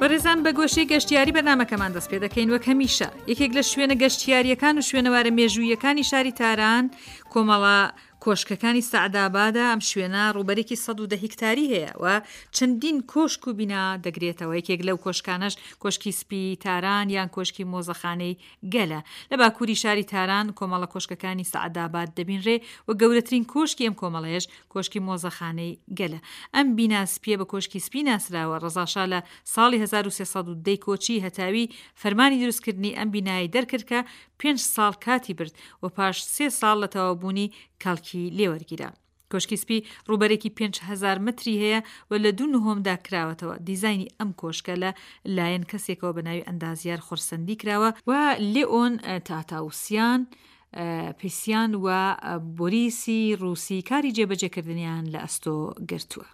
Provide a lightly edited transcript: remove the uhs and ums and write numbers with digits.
بەڕێزان بە گۆشەی گەشتیاری بەرنامەکەمان دەست پێ دەکەین وەک هەمیشە یەکێک لە شوێنە گەشتیاریەکان و شوێنەوارە مێژوویەکانی شاری تاران کۆمەڵە کۆشکەکانی سەعدابادە ئەم شوێنە ڕووبەرێکی 110 هیکتاری هەیە و چەندین کۆشک و بینا دەگرێتەوە یەکێک لەو کۆشکانەش کۆشکی سپی تاران یان کۆشکی مۆزەخانەی گەلە. لە باکووری شاری تاران کۆمەڵە کۆشکەکانی سەعداباد دەبینرێ و گەورەترین کۆشکی ئەم کۆمەڵەیەش کۆشکی مۆزەخانەی گەلە. ئەم بینا سپییە بە کۆشکی سپی ناسراوە. ڕەزاشا لە ساڵی 1310 ی کۆچی هەتاوی فەرمانی دروستکردنی ئەم بینایەی دەرکرد کە پێنج ساڵ کاتی برد و پاش سێ ساڵ لە تەواوبوونی کەڵکی لێوەرگیرا. کۆشکی سپی ڕووبەرێکی 5000 مەتری هەیە و لە دوو نهۆمدا کراوەتەوە، دیزاینی ئەم کۆشکە لە لایەن کەسێکەوە بە ناوی ئەندازیار خورسەندی کراوە و لێئۆن تاتاوسیان، پیسیان و بۆریسی ڕووسی کاری جێبەجێکردنیان لە ئەستۆ گرتووە.